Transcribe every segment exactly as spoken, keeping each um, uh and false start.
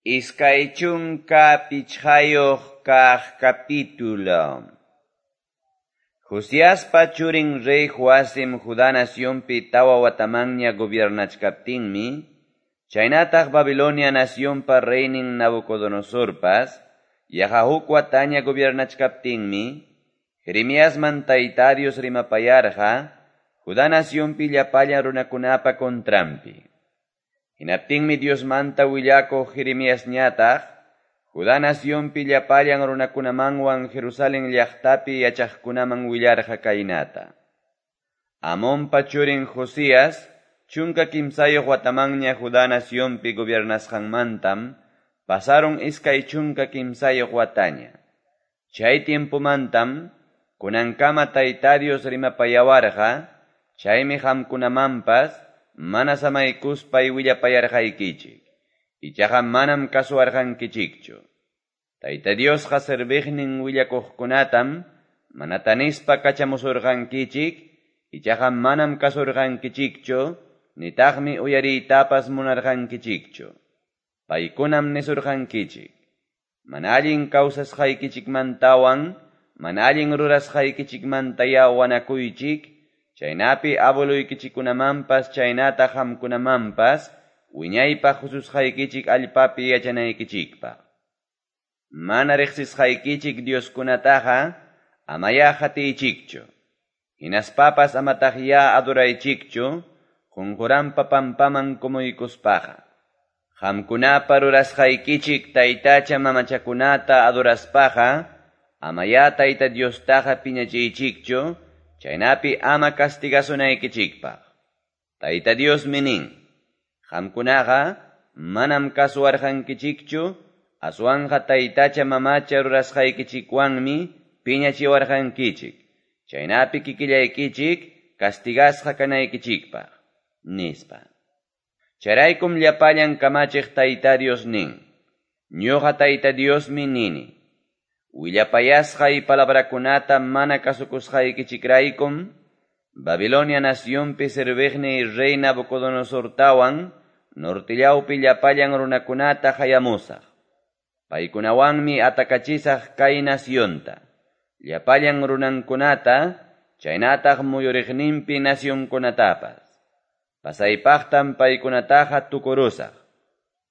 Iskay chunka pichqayuq kaq capítulo. Josiaspa churin rey Joacim Judá nacionpi tawa watamanña gobiernachkaptinmi, chaynataq Babilonia nacionpa reynin Nabucodonosorpas, yaqa huk wataña gobiernachkaptinmi, Jeremiasman Tayta Dios rimapayarqa, Judá nacionpi llapallan runakunapa contranpi. Hinaptinmi Diosmanta willakuq Jeremiasñataq, Judá nacionpi llapallan runakunamanwan Jerusalén llaqtapi yachaqkunaman willarqa kaynata. Amonpa churin Josías, chunka kimsayuq watamanña Judá nacionpi gobiernasqanmantam, pasaron iskay chunka kimsayuq wataña. Chay tiempomantam, kunankama Tayta Dios rimapayawarqa, chaymi qamkunamanpas, mana samaykuspay willapayarqaykichik, ichaqa manam kasuwarqankichikchu. Tayta Diosqa serviqnin willakuqkunatam mana tanispa kachamusurqankichik, ichaqa manam kasurqankichikchu, nitaqmi uyariytapas munarqankichikchu. Paykunam nisurqankichik, mana allin kawsasqaykichikmantawan, mana allin rurasqaykichikmantaya wanakuychik, chaynapi abueluykichikkunamanpas chaynataq qamkunamanpas wiñaypaq hususqaykichik allpapi yachanaykichikpaq. Mana riqsisqaykichik Dioskunataqa amaya qatiychikchu, hinaspapas amataqya adoraychikchu, qunquranpa pampaman kumuykuspaqa. Qamkunapa rurasqaykichik taytacha mamachakunata adoraspaqa, amaya Tayta Diostaqa piñachiychikchu, chaynapi ama castigasunaykichikpaq. Tayta Diosmi nin, qamkunaqa manam kasuwarqankichikchu, aswanqa taytacha mamacha rurasqaykichikwanmi piñachiwarqankichik, chaynapi kikillaykichik castigasqa kanaykichikpaq, nispa. Chayraykum llapallan kamachiq Tayta Dios nin, ñuqa Tayta Diosmi nini, willapayasqay palabrakunata mana kasukusqaykichikraykum, Babilonia nacionpi serviqniy rey Nabucodonosortawan, nortillawpi llapallan runakunata hayamusaq. Paykunawanmi atakachisaq kay nacionta, llapallan runankunata, chaynataq muyuriqninpi nacionkunatapas. Pasaypaqtam paykunataqa tukurusaq.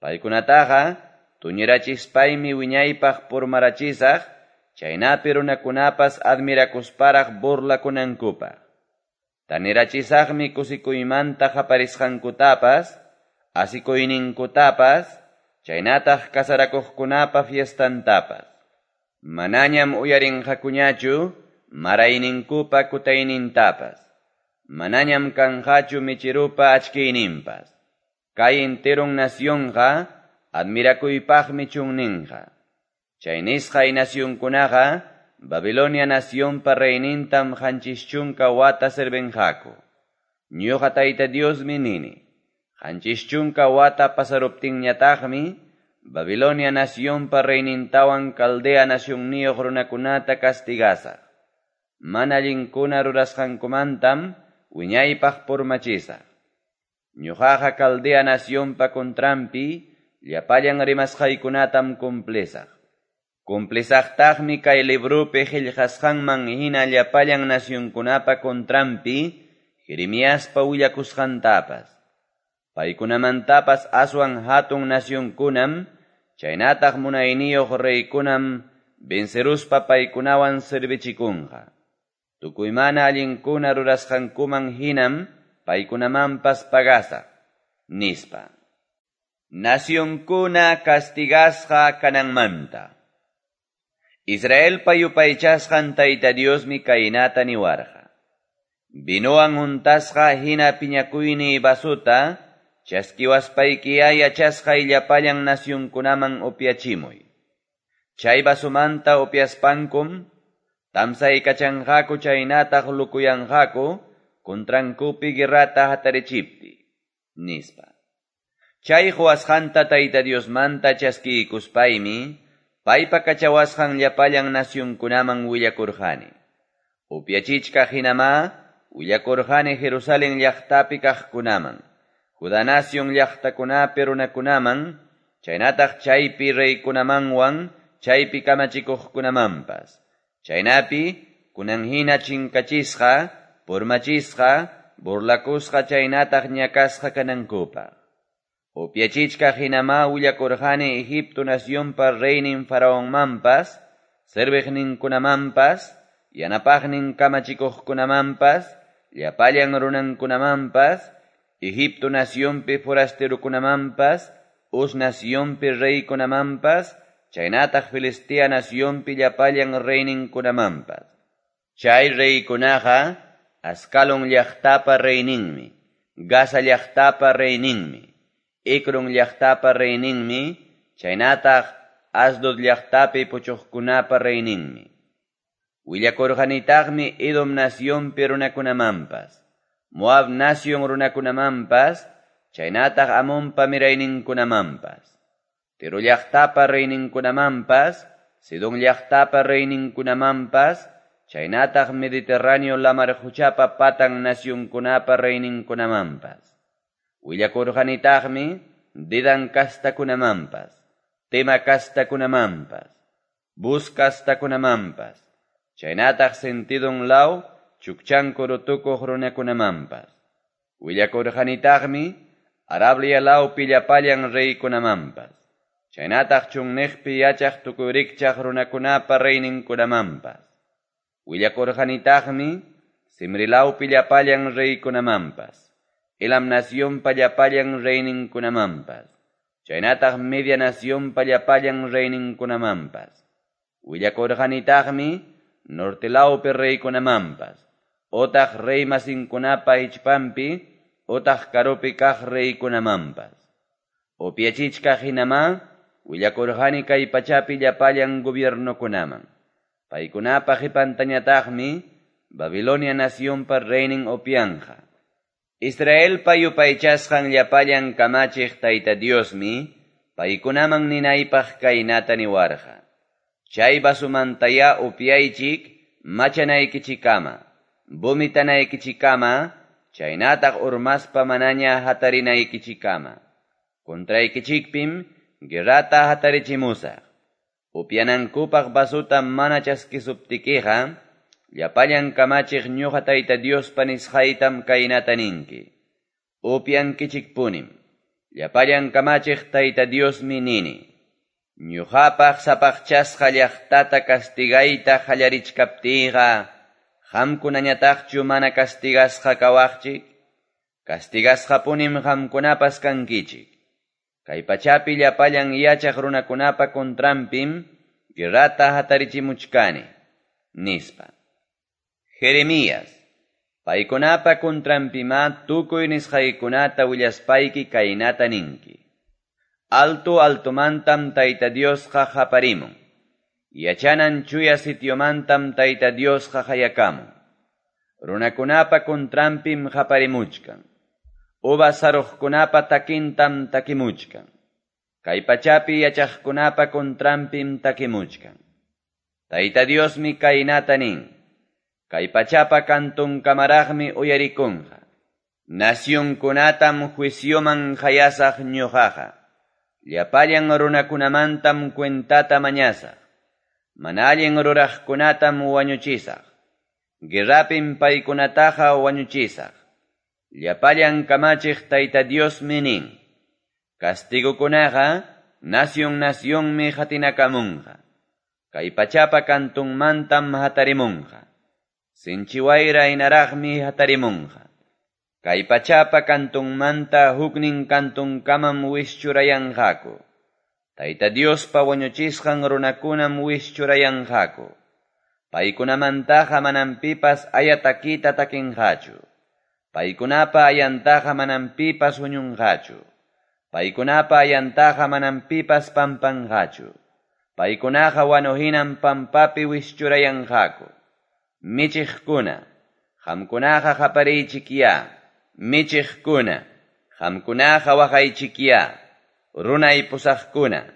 Paykunataqa tuñirachispaymi wiñaypaq purmarachisaq, chaynapi runakunapas admirakusparaq burlakunankupaq. Tanirachisaqmi kusikuymanta qaparisqankutapas, asikuyninkutapas, chaynataq kasarakuqkunapa fiestantapas. Manañam uyarinqakuñachu marayninkupa kutaynintapas. Manañam kanqachu michirupa achkiyninpas. Kay enteron nacionqa admirakuypaqmi chunninqa. Chay nisqay nacionkunaqa Babilonia nacionpa reynintam qanchis chunka wata servinqaku. Ñuqa Tayta Diosmi nini, qanchis chunka wata pasaruptinñataqmi Babilonia nacionpa reynintawan Caldea nacionniyuq runakunata castigasaq. Mana allinkuna rurasqankumantam wiñaypaq purmachisaq. Ñuqaqa Caldea nacionpa contranpi llapallan rimasqaykunatam cumplisaq. Cumplisaqtaqmi kay librupi qillqasqanman hina llapallan nacionkunapa contranpi Jeremiaspa willakusqantapas. Paykunamantapas aswan hatun nacionkunam, chaynataq munayniyuq reykunam venceruspa paykunawan servichikunqa. Tukuy mana allinkuna rurasqankuman hinam paykunamanpas pagasaq, nispa. Nacionkuna castigasqa kananmanta. Israelpa yupaychasqan Tayta Diosmi kaynata niwarqa. Vinowan untasqa hina piñakuyniy vasuta, chaskiwaspaykiya yachasqay llapallan nacionkunaman upyachimuy. Chay vasumanta upyaspankum, tamsaykachanqaku chaynataq lukuyanqaku, contrankupi guerrata hatarichipti, nispa. Chay huwasqanta Tayta Diosmanta chaskiykuspaymi, paypa kachawasqan llapallan nacionkunaman willakurqani. Upyachichkaq hinamá, willakurqani Jerusalén llaqtapi kaqkunaman, Judá nación llaqtakunapi runakunaman, chaynataq chaypi reykunamanwan chaypi kamachikuqkunamanpas. Chaynapi kunan hina chinkachisqa, purmachisqa, burlakusqa chaynataq ñakasqa kanankupaq. Upyachichkaq hinamá willakurqani Egipto nacionpa reynin faraonmanpas, serviqninkunamanpas, yanapaqnin kamachikuqkunamanpas, llapallan runankunamanpas, Egipto nacionpi forasterokunamanpas, Uz nacionpi reykunamanpas, chaynataq Filistea nacionpi llapallan reyninkunamanpas. Chay reykunaqa Ascalon llaqtapa reyninmi, Gaza llaqtapa reyninmi, Ecron llaqtapa reyninmi, chaynataq Asdod llaqtapi puchuqkunapa reyninmi. Willakurqanitaqmi Edom nacionpi runakunamanpas, Moab nacion runakunamanpas, chaynataq Amonpa mirayninkunamanpas, Tiro llaqtapa reyninkunamanpas, Sidón llaqtapa reyninkunamanpas, chaynataq Mediterráneo lamar quchapa patan nacionkunapa reyninkunamanpas. Willakurqanitaqmi Dedan kastakunamanpas, Tema kastakunamanpas, Buz kastakunamanpas, chaynataq sentidon law chukchanku rutukuq runakunamanpas. Willakurqanitaqmi Arabia lawpi llapallan reykunamanpas, chaynataq chunniqpi yachaq tukuy rikchaq runakunapa reyninkunamanpas. Willakurqanitaqmi Simri lawpi llapallan reykunamanpas, Elam nacionpa llapallan reyninkunamanpas, chaynataq Media nacionpa llapallan reyninkunamanpas. Willakurqanitaqmi norte lawpi reykunamanpas, otaq rey masinkunapa hichpanpi, otaq karupi kaq reykunamanpas. Upyachichkaq hinamá willakurqani kay pachapi llapallan gobiernokunaman. Paykunapa qipantañataqmi Babilonia nacionpa reynin upyanqa. Israelpa yupaychasqan llapallan kamachiq Tayta Diosmi paykunaman ninaypaq kaynata niwarqa. Chay vasumantayá upyaychik machanaykichikama, vomitanaykichikama, chaynataq urmaspa manaña hatarinaykichikama. Contraykichikpim guerrata hatarichimusaq. Upyanankupaq vasuta mana chaskisuptikiqa, llapallan kamachiq ñuqa Tayta Diospa nisqaytam kaynata ninki. Upyankichikpunim. Llapallan kamachiq Tayta Diosmi nini. Ñuqapaq sapaqchasqa llaqtata castigayta qallarichkaptiyqa, qamkunañataqchu mana castigasqa kawaqchik? Castigasqapunim qamkunapas kankichik. Kay pachapi llapallan yachaq runakunapa contranpim guerrata hatarichimuchkani, nispa. Jeremías, paykunapa contranpimá tukuy nisqaykunata willaspayki kaynata ninki. Alto altomantam Tayta Diosqa qaparimun. Yachanan chuya sitiomantam Tayta Diosqa qayakamun. Runakunapa contranpim qaparimuchkan. Uvas saruqkunapa takintam takimuchkan. Kay pachapi yachaqkunapa contranpim takimuchkan. Tayta Diosmi kaynata nin. Kay pachapa kantunkamaraqmi uyarikunqa. Nacionkunatam juicioman qayasaq ñuqaqa. Llapallan runakunamantam cuentata mañasaq. Mana allin ruraqkunatam wañuchisaq. Guerrapim paykunataqa wañuchisaq. Llapallan kamachiq Tayta Diosmi nin. Castigukunaqa nacion nacionmi qatinakamunqa. Kay pachapa kantunmantam hatarimunqa. Sinchi wayra hinaraqmi hatarimunqa. Kay pachapa kantunmanta huknin kantunkamam wischurayanqaku. Tayta Diospa wañuchisqan runakunam wischurayanqaku. Paykunamantaqa manam pipas aya takita takinqachu. Paykunapa ayantaqa manam pipas huñunqachu. Paykunapa ayantaqa manam pipas pampanqachu. Paykunaqa wanuhinam pampapi wischurayanqaku. Michiqkuna, qamkunaqa qapariychikyá. Michiqkuna, qamkunaqa waqaychikyá. Runay pusaqkuna,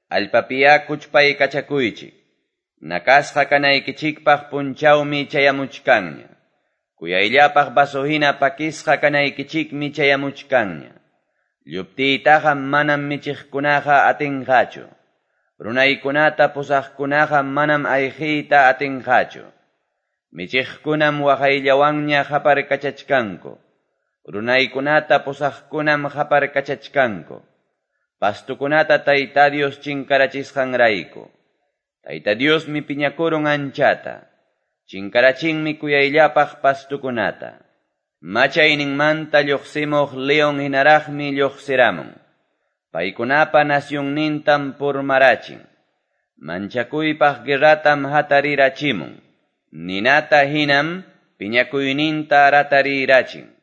allpapiyá kuchpaykachakuychik. Nakasqa kanaykichikpaq punchawmi chayamuchkanña. Kuyayllapaq vaso hina pakisqa kanaykichikmi chayamuchkanña. Lluptiytaqa manam michiqkunaqa atinqachu. Runaykunata pusaqkunaqa manam ayqiyta atinqachu. Michiqkunam waqayllawanña qaparkachachkanku. Runaykunata pusaqkunam qaparkachachkanku. Pastukunata Tayta Dios chinkarachisqanrayku. Tayta Diosmi piñakurun anchata. Chinkarachinmi kuyayllapaq pastukunata. Machayninmanta lluqsimuq leon hinaraqmi lluqsiramun. Paykunapa nasyunnintam purmarachin. Manchakuypaq guerratam hatarirachimun. Ninata hinam piñakuyninta ratarirachin.